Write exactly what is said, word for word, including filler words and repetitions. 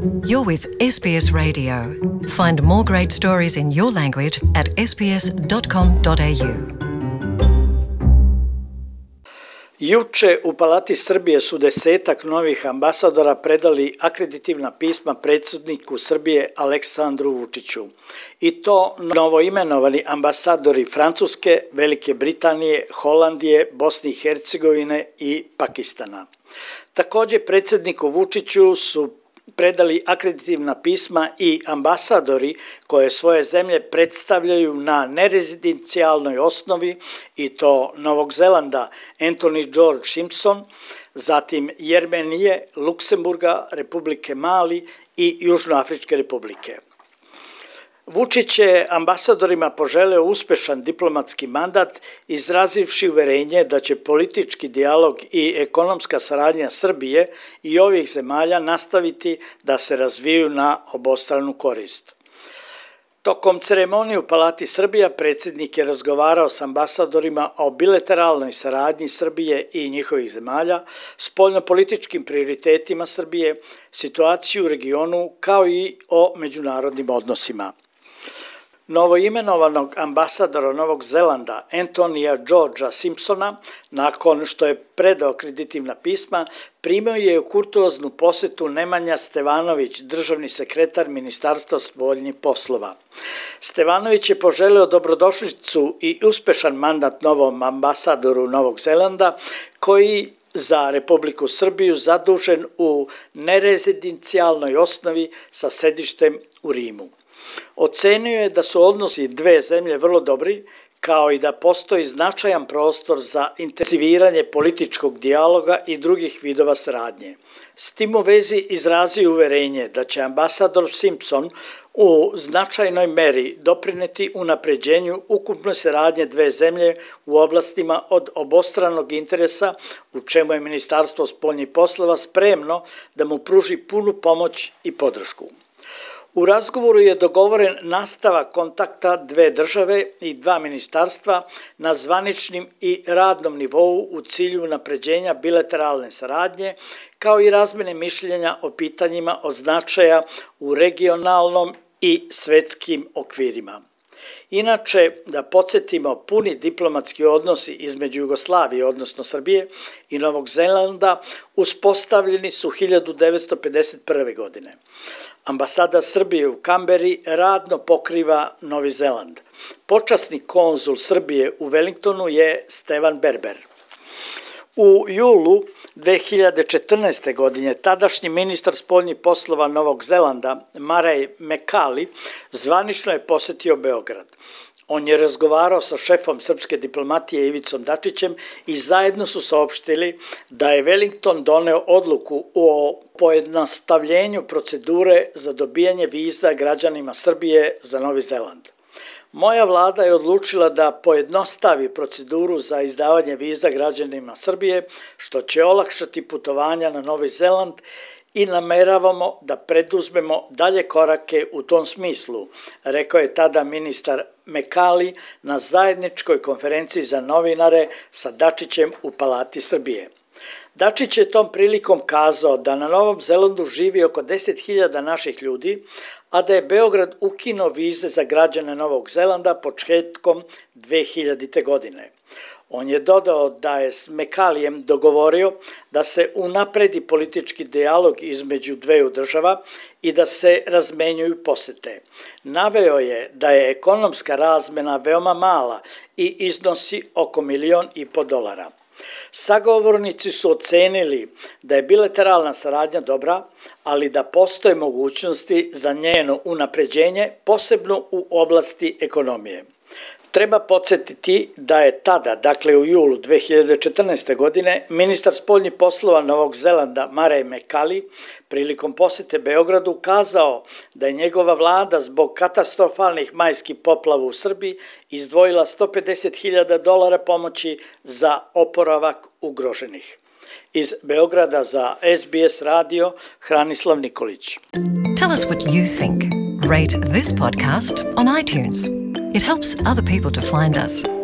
You're with S B S Radio. Find more great stories in your language at s b s dot com dot a u. Juče u Palati Srbije su desetak novih ambasadora predali akreditivna pisma predsjedniku Srbije Aleksandru Vučiću. I to novoimenovani ambasadori Francuske, Velike Britanije, Holandije, Bosne i Hercegovine i Pakistana. Također predsjedniku Vučiću su predali akreditivna pisma i ambasadori koje svoje zemlje predstavljaju na nerezidencijalnoj osnovi, i to Novog Zelanda Anthony George Simpson, zatim Jermenije, Luksemburga, Republike Mali i Južnoafričke republike. Vučić je ambasadorima poželeo uspešan diplomatski mandat, izrazivši uverenje da će politički dijalog i ekonomska saradnja Srbije i ovih zemalja nastaviti da se razviju na obostranu korist. Tokom ceremonije u Palati Srbija predsjednik je razgovarao s ambasadorima o bilateralnoj saradnji Srbije i njihovih zemalja, spoljnopolitičkim prioritetima Srbije, situaciju u regionu kao i o međunarodnim odnosima. Novoimenovanog ambasadora Novog Zelanda Anthonyja Georgea Simpsona, nakon što je predao akreditivna pisma, primio je u kurtoaznu posetu Nemanja Stevanović, državni sekretar Ministarstva spoljnih poslova. Stevanović je poželeo dobrodošlicu i uspešan mandat novom ambasadoru Novog Zelanda, koji za Republiku Srbiju zadužen u nerezidencijalnoj osnovi sa sedištem u Rimu. Ocenio je da su odnosi dve zemlje vrlo dobri, kao i da postoji značajan prostor za intenziviranje političkog dijaloga i drugih vidova saradnje. S tim u vezi izrazio uverenje da će ambasador Simpson u značajnoj meri doprineti unapređenju ukupne saradnje dve zemlje u oblastima od obostranog interesa, u čemu je Ministarstvo spoljnih poslova spremno da mu pruži punu pomoć i podršku. U razgovoru je dogovoren nastavak kontakta dve države i dva ministarstva na zvaničnim i radnom nivou u cilju unapređenja bilateralne saradnje, kao i razmene mišljenja o pitanjima od značaja u regionalnom i svetskim okvirima. Inače, da podsjetimo, puni diplomatski odnosi između Jugoslavije, odnosno Srbije, i Novog Zelanda uspostavljeni su hiljadu devetsto pedeset prve. godine. Ambasada Srbije u Kamberi radno pokriva Novi Zeland. Počasni konzul Srbije u Wellingtonu je Stevan Berber. U julu dve hiljade četrnaeste. godine tadašnji ministar spoljnih poslova Novog Zelanda Murray McCarthy zvanično je posetio Beograd. On je razgovarao sa šefom srpske diplomatije Ivicom Dačićem i zajedno su saopštili da je Wellington doneo odluku o pojednostavljenju procedure za dobijanje viza građanima Srbije za Novi Zeland. Moja vlada je odlučila da pojednostavi proceduru za izdavanje viza građanima Srbije, što će olakšati putovanja na Novi Zeland, i nameravamo da preduzmemo dalje korake u tom smislu, rekao je tada ministar McCarthy na zajedničkoj konferenciji za novinare sa Dačićem u Palati Srbije. Dačić je tom prilikom kazao da na Novom Zelandu živi oko deset hiljada naših ljudi, a da je Beograd ukinuo vize za građane Novog Zelanda početkom dve hiljadite. godine. On je dodao da je s McCarthyjem dogovorio da se unapredi politički dijalog između dveju država i da se razmenjuju posete. Naveo je da je ekonomska razmena veoma mala i iznosi oko milion i po dolara. Sagovornici su ocenili da je bilateralna saradnja dobra, ali da postoje mogućnosti za njeno unapređenje, posebno u oblasti ekonomije. Treba podsjetiti da je tada, dakle u julu dve hiljade četrnaeste. godine, ministar spoljnih poslova Novog Zelanda Murray McCarthy prilikom posete Beogradu kazao da je njegova vlada zbog katastrofalnih majskih poplava u Srbiji izdvojila sto pedeset hiljada dolara pomoći za oporavak ugroženih. Iz Beograda za S B S radio, Hranislav Nikolić. Tell us what you think. Rate this podcast on iTunes. It helps other people to find us.